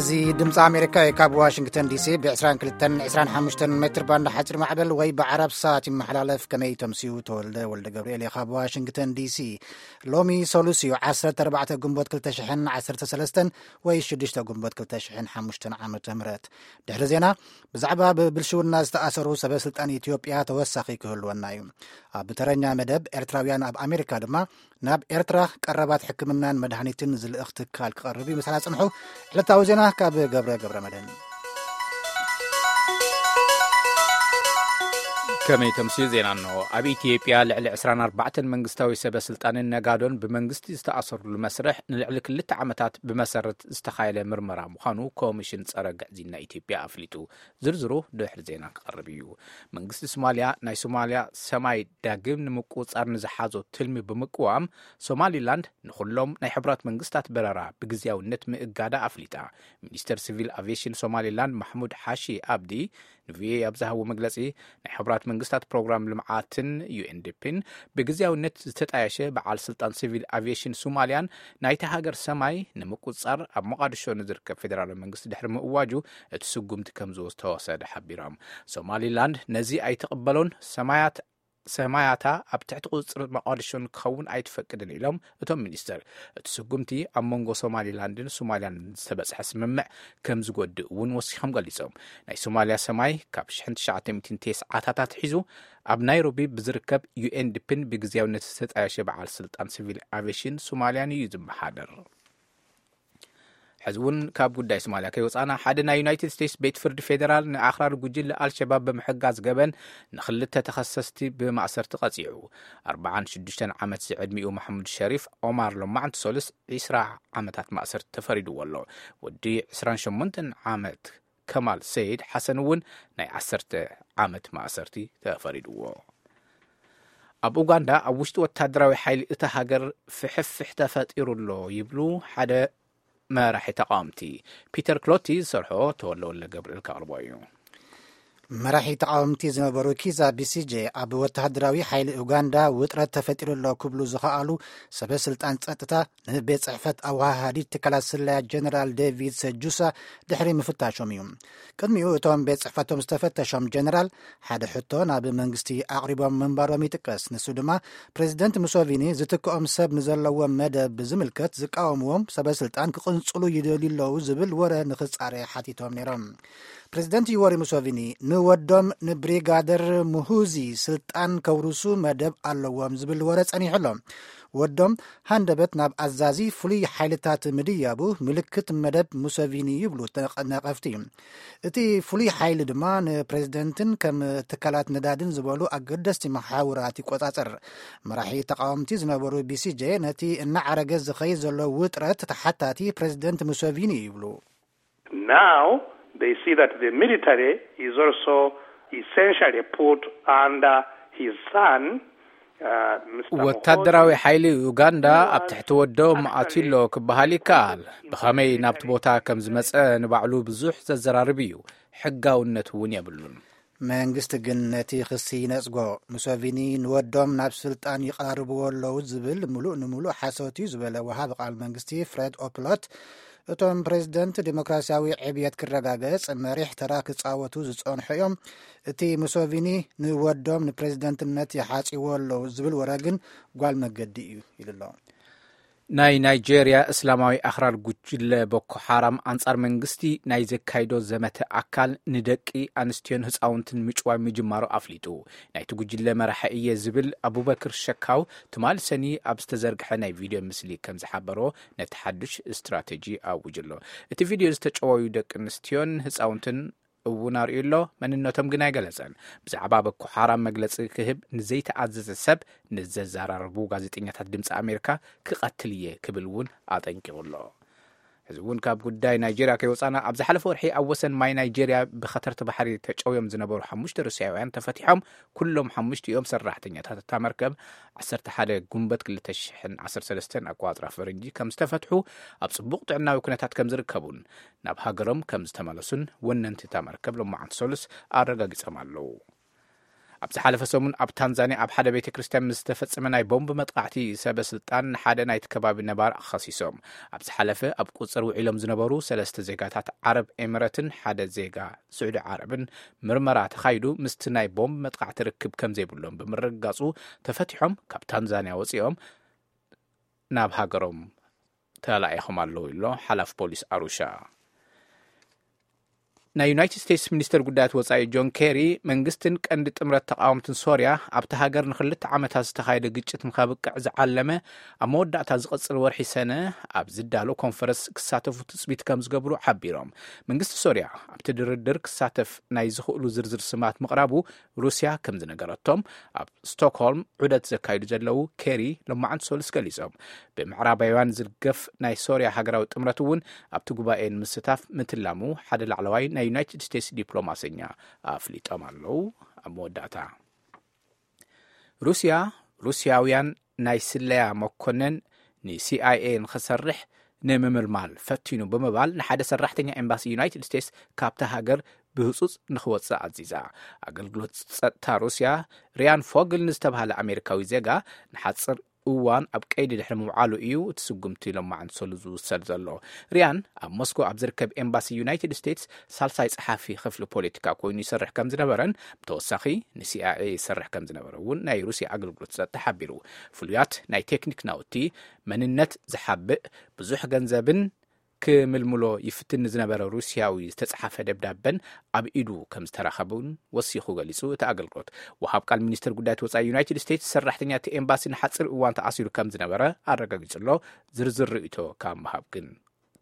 እዚ ድምፂ ኣሜሪካ እዩ። ካብ ዋሽንግተን ዲሲ ብ22 25 ሜትር ባንድ ሓፂር ማዕበል ወይ ብዓረብ ሰዓት ይመሓላለፍ። ከመይ ተምስዩ? ተወልደ ወልደ ገብርኤል እየ ካብ ዋሽንግተን ዲሲ። ሎሚ ሰሉስ እዩ፣ ዓሰርተ ኣርባዕተ ግንቦት ክልተ ሽሕን ዓሰርተ ሰለስተን ወይ ሽዱሽተ ግንቦት ክልተ ሽሕን ሓሙሽተን ዓመተ ምህረት። ድሕሪ ዜና፣ ብዛዕባ ብብልሽውና ዝተኣሰሩ ሰበ ስልጣን ኢትዮጵያ ተወሳኺ ክህልወና እዩ። ኣብ ተረኛ መደብ፣ ኤርትራውያን ኣብ ኣሜሪካ ድማ ናብ ኤርትራ ቀረባት ሕክምናን መድሃኒትን ዝልእኽ ትካል ክቐርብ እዩ። ምሳና ጽንሑ። ዕለታዊ ዜና ካብ ገብረ ገብረ መድህን። ከመይ ተምስዩ? ዜና እንሆ። ኣብ ኢትዮጵያ ልዕሊ ዕስራን ኣርባዕተን መንግስታዊ ሰበ ስልጣንን ነጋዶን ብመንግስቲ ዝተኣሰርሉ መስርሕ ንልዕሊ ክልተ ዓመታት ብመሰረት ዝተኻየለ ምርመራ ምዃኑ ኮሚሽን ጸረ ግዕዝይና ኢትዮጵያ ኣፍሊጡ። ዝርዝሩ ድሕሪ ዜና ክቐርብ እዩ። መንግስቲ ሶማልያ ናይ ሶማልያ ሰማይ ዳግም ንምቁጽጻር ንዝሓዞ ትልሚ ብምቅዋም፣ ሶማሊላንድ ንኹሎም ናይ ሕቡራት መንግስታት በረራ ብግዝያውነት ምእጋዳ ኣፍሊጣ። ሚኒስተር ሲቪል ኣቪዬሽን ሶማሊላንድ ማሕሙድ ሓሺ ኣብዲ ንቪኦኤ ኣብ ዝሃቦ መግለጺ፣ ናይ ሕቡራት መንግስታት ፕሮግራም ልምዓትን ዩኤንዲፒን ብግዝያውነት ዝተጣየሸ በዓል ስልጣን ሲቪል ኣቪዬሽን ሶማልያን ናይቲ ሃገር ሰማይ ንምቁጽጻር ኣብ ሞቓድሾ ንዝርከብ ፌደራላዊ መንግስቲ ድሕሪ ምእዋጁ፣ እቲ ስጉምቲ ከም ዝተወሰደ ሓቢሮም። ሶማሊላንድ ነዚ ኣይትቕበሎን፣ ሰማያት ሰማያታ ኣብ ትሕቲ ቁጽጽር መቓድሾን ክኸውን ኣይትፈቅድን ኢሎም እቶም ሚኒስተር። እቲ ስጉምቲ ኣብ መንጎ ሶማሊላንድን ሶማልያን ዝተበጽሐ ስምምዕ ከም ዝጎድእ እውን ወሲኾም ገሊጾም። ናይ ሶማልያ ሰማይ ካብ ሽሕን ትሽዓተ ሚእትን ተስዓታት ኣትሒዙ ኣብ ናይሮቢ ብዝርከብ ዩኤንዲፒን ብግዝያውነት ዝተጣየሸ በዓል ስልጣን ሲቪል ኣቪዬሽን ሶማልያን እዩ ዝመሓደር። ሕዚ እውን ካብ ጉዳይ ሶማልያ ከይወጻና፣ ሓደ ናይ ዩናይትድ ስቴትስ ቤት ፍርዲ ፌዴራል ንኣኽራሪ ጉጅለ ኣልሸባብ ብምሕጋዝ ገበን ንኽልተ ተኸሰስቲ ብማእሰርቲ ቀጺዑ። ኣርባዓን ሽዱሽተን ዓመት ዝዕድሚኡ ማሕሙድ ሸሪፍ ኦማር ሎማዕንቲ ሰሉስ ዕስራ ዓመታት ማእሰርቲ ተፈሪድዎ ኣሎ። ወዲ ዕስራን ሸሞንተን ዓመት ከማል ሰይድ ሓሰን እውን ናይ ዓሰርተ ዓመት ማእሰርቲ ተፈሪድዎ። ኣብ ኡጋንዳ ኣብ ውሽጢ ወታደራዊ ሓይሊ እታ ሃገር ፍሕፍሕ ተፈጢሩ ኣሎ ይብሉ ሓደ መራሒ ተቃወምቲ። ፒተር ክሎቲ ዝሰርሖ ተወልደ ወልደ ገብርኤል ከቕርቦ እዩ። መራሒ ተቃወምቲ ዝነበሩ ኪዛ ቢሲጄ ኣብ ወታደራዊ ሓይሊ ኡጋንዳ ውጥረት ተፈጢሩ ኣሎ ክብሉ ዝኸኣሉ ሰበ ስልጣን ጸጥታ ንቤት ጽሕፈት ኣወሃሃዲ ትካላት ስለያ ጀነራል ዴቪድ ሰጁሳ ድሕሪ ምፍታሾም እዩ። ቅድሚኡ እቶም ቤት ጽሕፈቶም ዝተፈተሾም ጀነራል ሓደ ሕቶ ናብ መንግስቲ ኣቕሪቦም ምንባሮም ይጥቀስ። ንሱ ድማ ፕሬዚደንት ሙሶቪኒ ዝትክኦም ሰብ ንዘለዎም መደብ ብዝምልከት ዝቃወምዎም ሰበ ስልጣን ክቕንጽሉ ይደልዩ ኣለዉ ዝብል ወረ ንኽጻረ ሓቲቶም ነይሮም። ፕሬዚደንት ዩወሪ ሙሶቪኒ ንወዶም ንብሪጋደር ሙሁዚ ስልጣን ከውርሱ መደብ ኣለዎም ዝብል ወረ ጸኒሑ ኣሎ። ወዶም ሃንደበት ናብ ኣዛዚ ፍሉይ ሓይልታት ምድያቡ ምልክት መደብ ሙሶቪኒ ይብሉ ተቐ-፣ ነቐፍቲ። እቲ ፍሉይ ሓይሊ ድማ ንፕሬዚደንትን ከም ትካላት ነዳድን ዝበሉ ኣገደስቲ መሓውራት ይቆጻጸር። መራሒ ተቃወምቲ ዝነበሩ ቢሲጄ ነቲ እናዓረገ ዝኸይድ ዘሎ ውጥረት ተሓታቲ ፕሬዚደንት ሙሶቪኒ ይብሉ። Now they see that the military is also essentially put under his son, uh, ሚስተር ወታደራዊ ሓይሊ ኡጋንዳ ኣብ ትሕቲ ወዶም ኣትዩ ኣሎ ክበሃል ይከኣል። ብኸመይ ናብቲ ቦታ ከም ዝመጸ ንባዕሉ ብዙሕ ዘዘራርብ እዩ። ሕጋውነት እውን የብሉን። መንግስቲ ግን ነቲ ክሲ ይነጽጎ። ሙሶቪኒ ንወዶም ናብ ስልጣን ይቐራርብዎ ኣለዉ ዝብል ምሉእ ንምሉእ ሓሶት እዩ ዝበለ ወሃቢ ቃል መንግስቲ ፍሬድ ኦፕሎት፣ እቶም ፕሬዚደንት ዴሞክራሲያዊ ዕብየት ክረጋገጽ መሪሕ ተራ ክጻወቱ ዝጸንሑ እዮም። እቲ ሙሶቪኒ ንወዶም ንፕሬዚደንትነት ይሓጽዎ ኣለዉ ዝብል ወረ ግን ጓል መገዲ እዩ ኢሉ ኣሎ። ናይ ናይጄርያ እስላማዊ ኣኽራር ጉጅለ ቦኮ ሓራም ኣንጻር መንግስቲ ናይ ዘካይዶ ዘመተ ኣካል ንደቂ ኣንስትዮን ህጻውንትን ምጭዋይ ምጅማሩ ኣፍሊጡ። ናይቲ ጉጅለ መራሒ እየ ዝብል ኣቡበክር ሸካው ትማል ሰኒ ኣብ ዝተዘርግሐ ናይ ቪድዮ ምስሊ ከም ዝሓበሮ ነቲ ሓዱሽ ስትራቴጂ ኣውጅ ኣሎ። እቲ ቪድዮ ዝተጨወዩ ደቂ ኣንስትዮን ህጻውንትን እውን ኣርእዩ ኣሎ። መንነቶም ግን ኣይገለጸን። ብዛዕባ ቦኮ ሓራም መግለጺ ክህብ ንዘይተኣዘዘ ሰብ ንዘዘራረቡ ጋዜጠኛታት ድምፂ ኣሜሪካ ክቐትል እየ ክብል እውን ኣጠንቂቑ ኣሎ። ሕዚ እውን ካብ ጉዳይ ናይጄርያ ከይወፃና፣ ኣብ ዝሓለፈ ወርሒ ኣብ ወሰን ማይ ናይጄርያ ብኸተርቲ ባሕሪ ተጨውዮም ዝነበሩ ሓሙሽተ ሩስያውያን ተፈቲሖም። ኩሎም ሓሙሽቲኦም ሰራሕተኛታት እታ መርከብ ዓሰርተ ሓደ ጉንበት ክልተ ሽሕን ዓሰርተ ሰለስተን ኣቆፃፅራ ፈረንጂ ከም ዝተፈትሑ፣ ኣብ ፅቡቕ ጥዕናዊ ኩነታት ከም ዝርከቡን ናብ ሃገሮም ከም ዝተመለሱን ወነንቲ እታ መርከብ ሎማዓንቲ ሰሉስ ኣረጋጊጾም ኣለዉ። ኣብ ዝሓለፈ ሰሙን ኣብ ታንዛንያ ኣብ ሓደ ቤተ ክርስቲያን ምስ ዝተፈጸመ ናይ ቦምብ መጥቃዕቲ፣ ሰበ ስልጣን ንሓደ ናይቲ ከባቢ ነባር ኣኸሲሶም። ኣብ ዝሓለፈ ኣብ ቁጽር ውዒሎም ዝነበሩ ሰለስተ ዜጋታት ዓረብ ኤምረትን ሓደ ዜጋ ስዑዲ ዓረብን ምርመራ ተኻይዱ ምስቲ ናይ ቦምብ መጥቃዕቲ ርክብ ከም ዘይብሎም ብምርግጋጹ፣ ተፈቲሖም ካብ ታንዛንያ ወጺኦም ናብ ሃገሮም ተላኢኾም ኣለዉ ኢሎ ሓላፍ ፖሊስ ኣሩሻ። ናይ ዩናይትድ ስቴትስ ሚኒስተር ጉዳያት ወጻኢ ጆን ኬሪ፣ መንግስትን ቀንዲ ጥምረት ተቃወምትን ሶርያ ኣብቲ ሃገር ንክልተ ዓመታት ዝተኻየደ ግጭት ንከብቅዕ ዝዓለመ ኣብ መወዳእታ ዝቕጽል ወርሒ ሰነ ኣብ ዝዳሎ ኮንፈረንስ ክሳተፉ ትጽቢት ከም ዝገብሩ ሓቢሮም። መንግስቲ ሶርያ ኣብቲ ድርድር ክሳተፍ ናይ ዝኽእሉ ዝርዝር ስማት ምቕራቡ ሩስያ ከም ዝነገረቶም ኣብ ስቶክሆልም ዑደት ዘካይዱ ዘለዉ ኬሪ ሎማዓንቲ ሰሉስ ገሊጾም። ብምዕራባውያን ዝድገፍ ናይ ሶርያ ሃገራዊ ጥምረት እውን ኣብቲ ጉባኤ ንምስታፍ ምትላሙ ሓደ ላዕለዋይ ናይ ዩናይትድ ስቴትስ ዲፕሎማሰኛ ኣፍሊጦም ኣለዉ። ኣብ መወዳእታ፣ ሩስያ፣ ሩስያውያን ናይ ስለያ መኮነን ንሲኣይኤ ንኽሰርሕ ንምምልማል ፈቲኑ ብምባል ንሓደ ሰራሕተኛ ኤምባሲ ዩናይትድ ስቴትስ ካብታ ሃገር ብህጹጽ ንኽወጽእ ኣዚዛ። ኣገልግሎት ጸጥታ ሩስያ፣ ሪያን ፎግል ንዝተባህለ ኣሜሪካዊ ዜጋ ንሓጽር እዋን ኣብ ቀይዲ ድሕሪ ምውዓሉ እዩ እቲ ስጉምቲ ሎማዓንቲ ሰሉስ ዝውሰድ ዘሎ። ሪያን ኣብ ሞስኮ ኣብ ዝርከብ ኤምባሲ ዩናይትድ ስቴትስ ሳልሳይ ጸሓፊ ክፍሊ ፖለቲካ ኮይኑ ይሰርሕ ከም ዝነበረን ብተወሳኺ ንሲኣይኤ ይሰርሕ ከም ዝነበረ እውን ናይ ሩስያ ኣገልግሎት ጸጥታ ሓቢሩ። ፍሉያት ናይ ቴክኒክ ናውቲ፣ መንነት ዝሓብእ ብዙሕ ገንዘብን ክምልምሎ ይፍትን ንዝነበረ ሩስያዊ ዝተጻሓፈ ደብዳበን ኣብ ኢዱ ከም ዝተረኸበ እውን ወሲኹ ገሊጹ። እቲ ኣገልግሎት ወሃብ ቃል ሚኒስትር ጉዳያት ወጻኢ ዩናይትድ ስቴትስ፣ ሰራሕተኛ እቲ ኤምባሲ ንሓጺር እዋን ተኣሲሩ ከም ዝነበረ ኣረጋጊጹ ኣሎ። ዝርዝር ርእይቶ ካብ ምሃብ ግን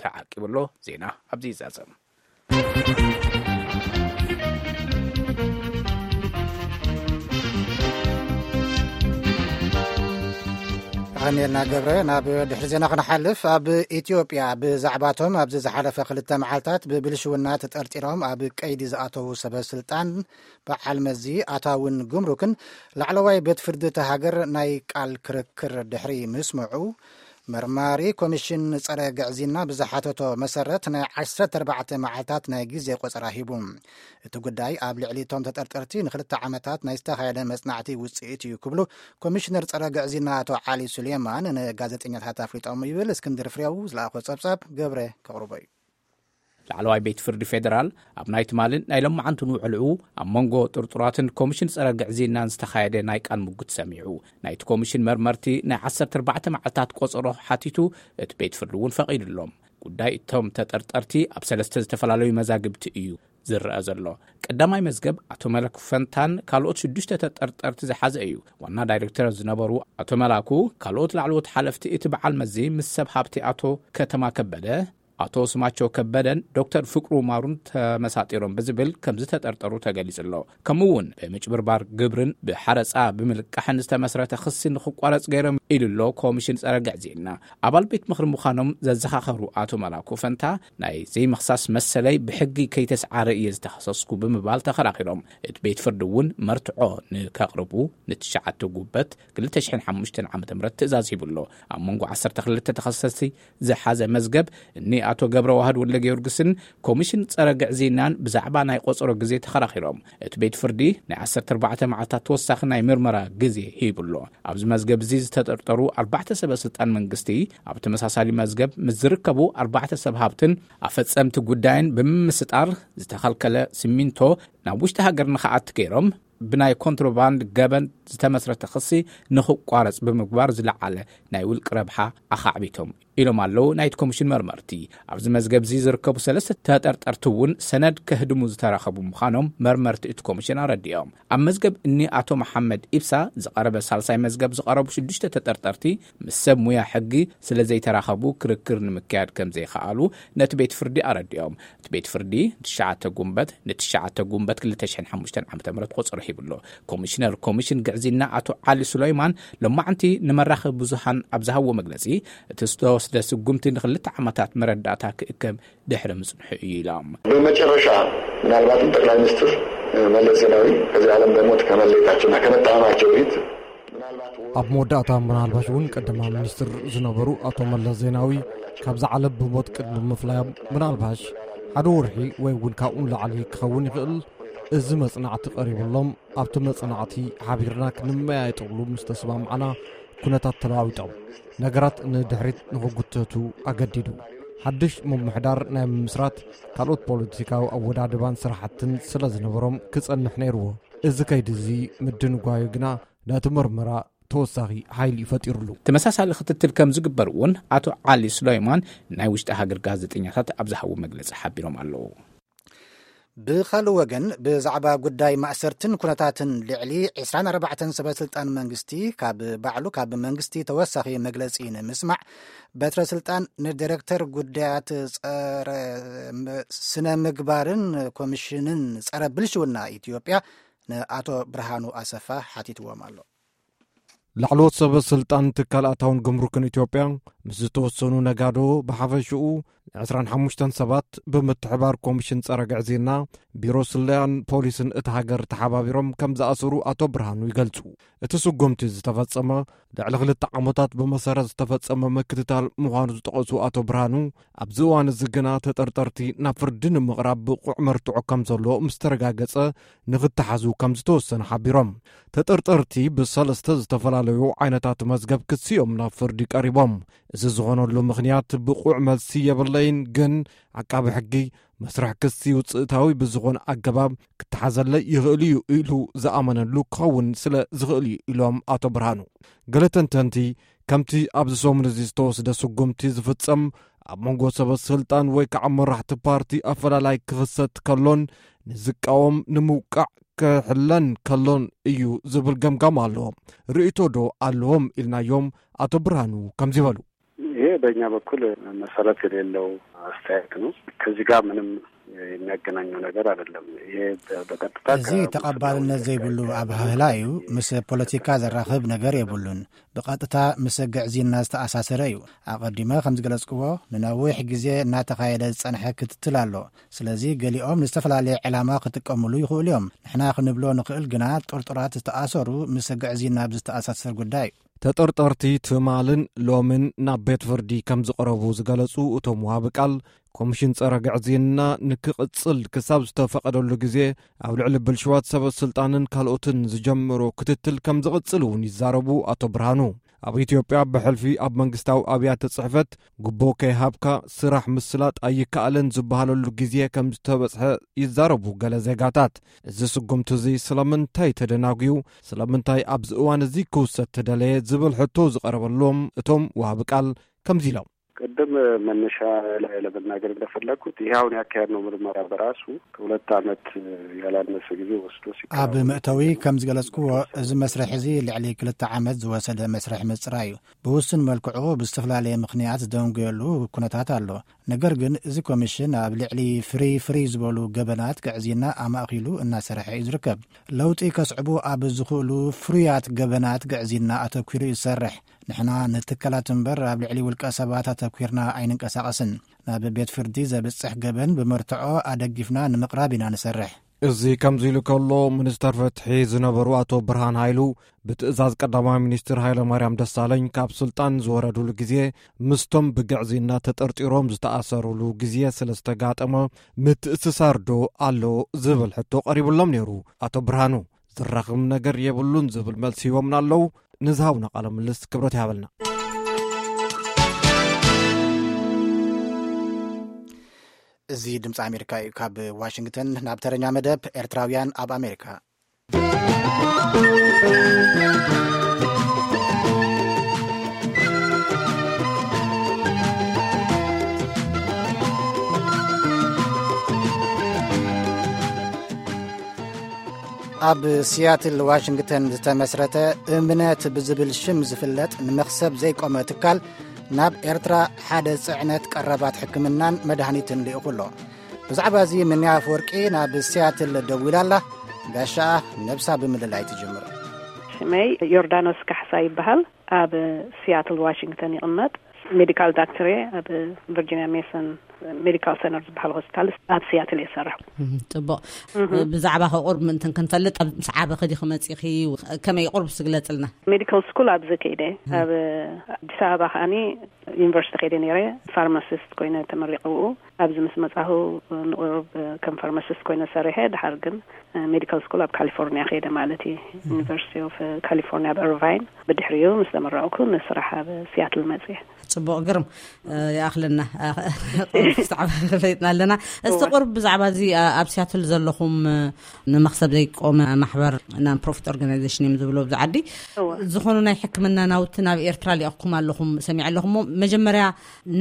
ተዓቂቡ ኣሎ። ዜና ኣብዚ ይዛዘም። ኣቐንየልና ገብረ። ናብ ድሕሪ ዜና ክንሓልፍ፣ ኣብ ኢትዮጵያ ብዛዕባቶም ኣብዚ ዝሓለፈ ክልተ መዓልታት ብብልሽውና ተጠርጢሮም ኣብ ቀይዲ ዝኣተዉ ሰበ ስልጣን፣ በዓል መዚ ኣታውን ጉምሩክን ላዕለዋይ ቤት ፍርዲ እታ ሃገር ናይ ቃል ክርክር ድሕሪ ምስምዑ፣ መርማሪ ኮሚሽን ጸረ ግዕዝይና ብዝሓተቶ መሰረት ናይ ዓሰርተ ኣርባዕተ መዓልታት ናይ ግዜ ቆጸራ ሂቡ። እቲ ጉዳይ ኣብ ልዕሊ እቶም ተጠርጠርቲ ንክልተ ዓመታት ናይ ዝተኻየደ መጽናዕቲ ውጽኢት እዩ ክብሉ ኮሚሽነር ጸረ ግዕዝይና ኣቶ ዓሊ ሱሌማን ንጋዜጠኛታት ኣፍሊጦም ይብል እስክንድር ፍሬው ዝለኣኾ ጸብጻብ ገብረ ከቕርቦ እዩ። ላዕለዋይ ቤት ፍርዲ ፌደራል ኣብ ናይ ትማልን ናይ ሎማዓንቱን ውዕልኡ ኣብ መንጎ ጥርጡራትን ኮሚሽን ጸረ ግዕዝይናን ዝተኻየደ ናይ ቃል ምጉት ሰሚዑ። ናይቲ ኮሚሽን መርመርቲ ናይ ዓሰርተ ኣርባዕተ መዓልታት ቆጸሮ ሓቲቱ፣ እቲ ቤት ፍርዲ እውን ፈቒዱሎም። ጉዳይ እቶም ተጠርጠርቲ ኣብ ሰለስተ ዝተፈላለዩ መዛግብቲ እዩ ዝረአ ዘሎ። ቀዳማይ መዝገብ ኣቶ መላኩ ፈንታን ካልኦት ሽዱሽተ ተጠርጠርቲ ዝሓዘ እዩ። ዋና ዳይሬክተር ዝነበሩ ኣቶ መላኩ፣ ካልኦት ላዕለዎት ሓለፍቲ እቲ በዓል መዚ ምስ ሰብ ሃብቲ ኣቶ ከተማ ከበደ፣ ኣቶ ስማቸው ከበደን ዶክተር ፍቅሩ ማሩን ተመሳጢሮም ብዝብል ከም ዝተጠርጠሩ ተገሊጹ ኣሎ። ከምኡ እውን ብምጭብርባር ግብርን ብሓረጻ ብምልቃሕን ዝተመስረተ ክሲ ንክቋረጽ ገይሮም ኢሉ ኣሎ ኮሚሽን ጸረ ግዕዝይና። ኣባል ቤት ምኽሪ ምዃኖም ዘዘኻኸሩ ኣቶ መላኩ ፈንታ፣ ናይ ዘይምኽሳስ መሰለይ ብሕጊ ከይተስዓረ እየ ዝተኸሰስኩ ብምባል ተኸራኺሮም። እቲ ቤት ፍርዲ እውን መርትዖ ንከቕርቡ ንትሽዓተ ጉበት ክልተ ሽሕን ሓሙሽተን ዓመተ ምህረት ትእዛዝ ሂቡ ኣሎ። ኣብ መንጎ ዓሰርተ ክልተ ተኸሰስቲ ዝሓዘ መዝገብ፣ እኒ ኣቶ ገብረ ዋህድ ወልደ ጊዮርጊስን ኮሚሽን ጸረ ግዕዝይናን ብዛዕባ ናይ ቆጸሮ ግዜ ተኸራኺሮም። እቲ ቤት ፍርዲ ናይ ዓሰርተ ኣርባዕተ መዓልታት ተወሳኺ ናይ ምርመራ ግዜ ሂቡ ኣሎ። ኣብዚ መዝገብ እዚ ዝተጠርጠሩ ኣርባዕተ ሰበ ስልጣን መንግስቲ፣ ኣብ ተመሳሳሊ መዝገብ ምስ ዝርከቡ ኣርባዕተ ሰብ ሃብትን ኣፈጸምቲ ጉዳይን ብምምስጣር፣ ዝተኸልከለ ሲሚንቶ ናብ ውሽጢ ሃገር ንኽኣቲ ገይሮም ብናይ ኮንትሮባንድ ገበን ዝተመስረተ ክሲ ንኽቋረጽ ብምግባር ዝለዓለ ናይ ውልቂ ረብሓ ኣኻዕቢቶም ኢሎም ኣለዉ ናይቲ ኮሚሽን መርመርቲ። ኣብዚ መዝገብ እዚ ዝርከቡ ሰለስተ ተጠርጠርቲ እውን ሰነድ ከህድሙ ዝተረኸቡ ምዃኖም መርመርቲ እቲ ኮሚሽን ኣረዲኦም። ኣብ መዝገብ እኒ ኣቶ መሓመድ ኢብሳ ዝቐረበ ሳልሳይ መዝገብ ዝቐረቡ ሽዱሽተ ተጠርጠርቲ ምስ ሰብ ሙያ ሕጊ ስለ ዘይተራኸቡ ክርክር ንምክያድ ከም ዘይኸኣሉ ነቲ ቤት ፍርዲ ኣረዲኦም። እቲ ቤት ፍርዲ ትሽዓተ ጉንበት ንትሽዓተ ጉንበት ክልተ ሽሕን ሓሙሽተን ዓመተ ምህረት ቆጸሮ ሂቡ ኣሎ። ኮሚሽነር ኮሚሽን ግዕዝይና ኣቶ ዓሊ ሱለይማን ሎማዕንቲ ንመራኸቢ ብዙሃን ኣብ ዝሃብዎ መግለጺ፣ እቲ ዝተወስደ ስጉምቲ ንክልተ ዓመታት መረዳእታ ክእከብ ድሕሪ ምጽንሑ እዩ ኢሎም። በመጨረሻ ምናልባትም ጠቅላይ ሚኒስትር መለስ ዜናዊ ከዚህ ዓለም በሞት ከመለየታቸውና ከመጣመማቸው በፊት ምናልባት ኣብ መወዳእታ ምናልባሽ እውን ቀዳማይ ሚኒስትር ዝነበሩ ኣቶ መለስ ዜናዊ ካብዛ ዓለም ብሞት ቅድሚ ምፍላዮም ምናልባሽ ሓደ ወርሒ ወይ እውን ካብኡ ንላዕሊ ክኸውን ይኽእል፣ እዚ መጽናዕቲ ቀሪቡሎም ኣብቲ መጽናዕቲ ሓቢርና ክንመያየጠሉ ምስ ተስማምዓና ኩነታት ተለዋዊጦም። ነገራት ንድሕሪት ንኽጉተቱ ኣገዲዱ። ሓድሽ ምምሕዳር ናይ ምምስራት ካልኦት ፖለቲካዊ ኣወዳድባን ስራሕትን ስለ ዝነበሮም ክጸንሕ ነይርዎ። እዚ ከይዲ እዚ ምድንጓዩ ግና ነቲ መርመራ ተወሳኺ ሓይሊ ፈጢሩሉ። ተመሳሳሊ ክትትል ከም ዝግበር እውን ኣቶ ዓሊ ሱላይማን ናይ ውሽጢ ሃገር ጋዜጠኛታት ኣብ ዝሃቡ መግለጺ ሓቢሮም ኣለዉ። ብኻልእ ወገን ብዛዕባ ጉዳይ ማእሰርትን ኩነታትን ልዕሊ ዕስራን ኣርባዕተን ሰበ ስልጣን መንግስቲ ካብ ባዕሉ ካብ መንግስቲ ተወሳኺ መግለጺ ንምስማዕ በትረ ስልጣን ንዲሬክተር ጉዳያት ጸረ ስነ ምግባርን ኮሚሽንን ጸረ ብልሽውና ኢትዮጵያ ንኣቶ ብርሃኑ ኣሰፋ ሓቲትዎም ኣሎ። ላዕለዎት ሰበ ስልጣን ትካል ኣታውን ግምሩክን ኢትዮጵያ ምስ ዝተወሰኑ ነጋዶ ብሓፈሽኡ ን ዕስራን ሓሙሽተን ሰባት ብምትሕባር ኮሚሽን ጸረ ግዕዝይና ቢሮ ስለያን ፖሊስን እቲ ሃገር ተሓባቢሮም ከም ዝኣሰሩ ኣቶ ብርሃኑ ይገልጹ። እቲ ስጉምቲ ዝተፈጸመ ልዕሊ ክልተ ዓመታት ብመሰረት ዝተፈጸመ ምክትታል ምዃኑ ዝጠቐሱ ኣቶ ብርሃኑ፣ ኣብዚ እዋን እዚ ግና ተጠርጠርቲ ናብ ፍርዲ ንምቕራብ ብቑዕ መርትዖ ከም ዘሎ ምስ ተረጋገጸ ንኽተሓዙ ከም ዝተወሰነ ሓቢሮም። ተጠርጠርቲ ብሰለስተ ዝተፈላለዩ ዓይነታት መዝገብ ክሲ እዮም ናብ ፍርዲ ቀሪቦም። እዚ ዝኾነሉ ምኽንያት ብቑዕ መልሲ የብለይን፣ ግን ዓቃቢ ሕጊ መስርሕ ክሲ ውፅእታዊ ብዝኾነ ኣገባብ ክተሓዘለይ ይኽእል እዩ ኢሉ ዝኣመነሉ ክኸውን ስለ ዝኽእል እዩ ኢሎም ኣቶ ብርሃኑ። ገለ ተንተንቲ ከምቲ ኣብዚ ሰሙን እዚ ዝተወስደ ስጉምቲ ዝፍጸም ኣብ መንጎ ሰበ ስልጣን ወይ ከዓ መራሕቲ ፓርቲ ኣፈላላይ ክኽሰት ከሎን ንዝቃወም ንምውቃዕ ክሕለን ከሎን እዩ ዝብል ገምጋም ኣሎ። ርእይቶ ዶ ኣለዎም ኢልናዮም ኣቶ ብርሃኑ ከምዚ በሉ። ይሄ በእኛ በኩል መሰረት የሌለው አስተያየት ነው። ከዚህ ጋር ምንም የሚያገናኘው ነገር አይደለም። ይሄ በቀጥታ እዚ ተቀባልነት ዘይብሉ አብሃህላ እዩ። ምስ ፖለቲካ ዘራኽብ ነገር የብሉን። ብቐጥታ ምስ ግዕዝይና ዝተኣሳሰረ እዩ። ኣቐዲመ ከም ዝገለጽክዎ ንነዊሕ ግዜ እናተኻየደ ዝጸንሐ ክትትል ኣሎ። ስለዚ ገሊኦም ንዝተፈላለየ ዕላማ ክጥቀምሉ ይኽእሉ እዮም። ንሕና ክንብሎ ንኽእል ግና ጥርጡራት ዝተኣሰሩ ምስ ግዕዝይና ብዝተኣሳሰር ጉዳይ እዩ። ተጠርጠርቲ ትማልን ሎምን ናብ ቤት ፍርዲ ከም ዝቐረቡ ዝገለጹ እቶም ወሃቢ ቃል፣ ኮሚሽን ጸረ ግዕዝይና ንክቕጽል ክሳብ ዝተፈቐደሉ ግዜ ኣብ ልዕሊ ብልሽዋት ሰበ ስልጣንን ካልኦትን ዝጀመሮ ክትትል ከም ዝቕጽል እውን ይዛረቡ ኣቶ ብርሃኑ። ኣብ ኢትዮጵያ ብሕልፊ ኣብ መንግስታዊ ኣብያተ ጽሕፈት ጉቦ ከይሃብካ ስራሕ ምስላጥ ኣይከኣልን ዝበሃለሉ ግዜ ከም ዝተበጽሐ ይዛረቡ ገለ ዜጋታት። እዚ ስጉምቲ እዚ ስለምንታይ ተደናጉዩ? ስለምንታይ ኣብዚ እዋን እዚ ክውሰድ ተደለየ? ዝብል ሕቶ ዝቐረበሎም እቶም ወሃቢ ቃል ከምዚ ኢሎም። ቅድም መነሻ ላይ ለመናገር እንደፈለግኩት ይሄ አሁን ያካሄድነው ምርመራ በራሱ ከሁለት ዓመት ያላነሰ ጊዜ ወስዶ ሲካሄድ ኣብ መእተዊ ከም ዝገለጽክዎ፣ እዚ መስርሕ እዚ ልዕሊ ክልተ ዓመት ዝወሰደ መስርሕ ምጽራይ እዩ። ብውሱን መልክዑ ብዝተፈላለየ ምኽንያት ዝደንጉየሉ ኩነታት ኣሎ። ነገር ግን እዚ ኮሚሽን ኣብ ልዕሊ ፍርይ ፍርይ ዝበሉ ገበናት ግዕዝይና ኣማእኪሉ እናሰርሐ እዩ ዝርከብ። ለውጢ ከስዕቡ ኣብ ዝኽእሉ ፍሩያት ገበናት ግዕዝይና ኣተኲሩ እዩ ዝሰርሕ። ንሕና ንትካላት እምበር ኣብ ልዕሊ ውልቀ ሰባት ኣተኲርና ኣይንንቀሳቐስን። ናብ ቤት ፍርዲ ዘብጽሕ ገበን ብመርትዖ ኣደጊፍና ንምቕራብ ኢና ንሰርሕ። እዚ ከምዚ ኢሉ ከሎ፣ ሚኒስተር ፍትሒ ዝነበሩ ኣቶ ብርሃን ሃይሉ ብትእዛዝ ቀዳማይ ሚኒስትር ሃይለ ማርያም ደሳለኝ ካብ ስልጣን ዝወረዱሉ ግዜ ምስቶም ብግዕዝይና ተጠርጢሮም ዝተኣሰሩሉ ግዜ ስለ ዝተጋጠመ ምትእስሳር ዶ ኣሎ ዝብል ሕቶ ቀሪቡሎም ነይሩ። ኣቶ ብርሃኑ ዝራኽብ ነገር የብሉን ዝብል መልሲ ሂቦምና ኣለዉ። ንዝሃቡና ቃለ ምልልስ ክብረት ይሃበልና። እዚ ድምፂ ኣሜሪካ እዩ። ካብ ዋሽንግተን ናብ ተረኛ መደብ ኤርትራውያን ኣብ ኣሜሪካ። ኣብ ሲያትል ዋሽንግተን ዝተመስረተ እምነት ብዝብል ሽም ዝፍለጥ ንመኽሰብ ዘይቆመ ትካል ናብ ኤርትራ ሓደ ጽዕነት ቀረባት ሕክምናን መድሃኒትን ልኢኹ ኣሎ። ብዛዕባ እዚ ምንያ ኣፈወርቂ ናብ ሲያትል ደዊላ ኣላ። ጋሻኣ ነብሳ ብምልላይ ትጅምር። ሽመይ ዮርዳኖስ ካሕሳ ይበሃል። ኣብ ሲያትል ዋሽንግተን ይቕመጥ። ሜዲካል ዳክተር እየ ኣብ ቨርጂኒያ ሜሰን ሜዲካል ሰንተር ዝበሃል ሆስፒታል ኣብ ሲያትል እየ ዝሰርሕ። እም፣ ጽቡቕ። እም። ብዛዕባ ከ ቁርብ ምእንትን ክንፈልጥ፣ ኣብ ምስ ዓበኺ ዲኺ መጺኺ፣ ከመይ ቁርብ ስግለጽልና? ሜዲካል ስኩል ኣብዚ ከይደ፣ እም። ኣብ ኣዲስ ኣበባ ከኣኒ ዩኒቨርሲቲ ከይደ ነይረ፣ ፋርማሲስት ኮይነ ተመሪቐ ብኡ። ኣብዚ ምስ መጻኹ ንቁሩብ ከም ፋርማሲስት ኮይነ ሰሪሐ፣ ድሓር ግን ሜዲካል ስኩል ኣብ ካሊፎርኒያ ከይደ ማለት እዩ። እም። ዩኒቨርሲቲ ኦፍ ካሊፎርኒያ ኣብ ኢርቫይን። ብድሕሪኡ ምስ ተመረቕኩ ንስራሕ ኣብ ሲያትል መጽየ። ጽቡቕ፣ ግርም። እ፣ ይኣኽለና። እ፣ ቁሩብ ብዛዕባ ፈሊጥና ኣለና። እስቲ እወ። ቁሩብ ብዛዕባ እዚ፣ እ፣ ኣብ ሲያትል ዘለኹም፣ እ፣ ንመኽሰብ ዘይቆመ ማሕበር፣ ናን ፕሮፊት ኦርጋናይዜሽን እዮም ዝብሎ ኣብዚ ዓዲ። እወ። ዝኾኑ ናይ ሕክምና ናውቲ ናብ ኤርትራ ሊኣኽኩም ኣለኹም ሰሚዐ ኣለኹ። እሞ መጀመርያ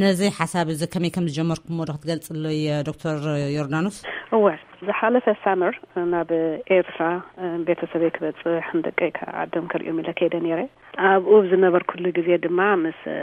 ነዚ ሓሳብ እዚ ከመይ ከም ዝጀመርኩሞ ዶ ክትገልጽለይ፣ ዶክተር ዮርዳኖስ? እወ፣ ዝሓለፈ ሳመር ናብ ኤርትራ፣ እ፣ ቤተሰበይ ክበጽሕ፣ ንደቀይ ከ ዓዶም ከርእዮም ኢለ ከይደ ነይረ። ኣብኡ ኣብ ዝነበርኩሉ ግዜ ድማ ምስ፣ እ፣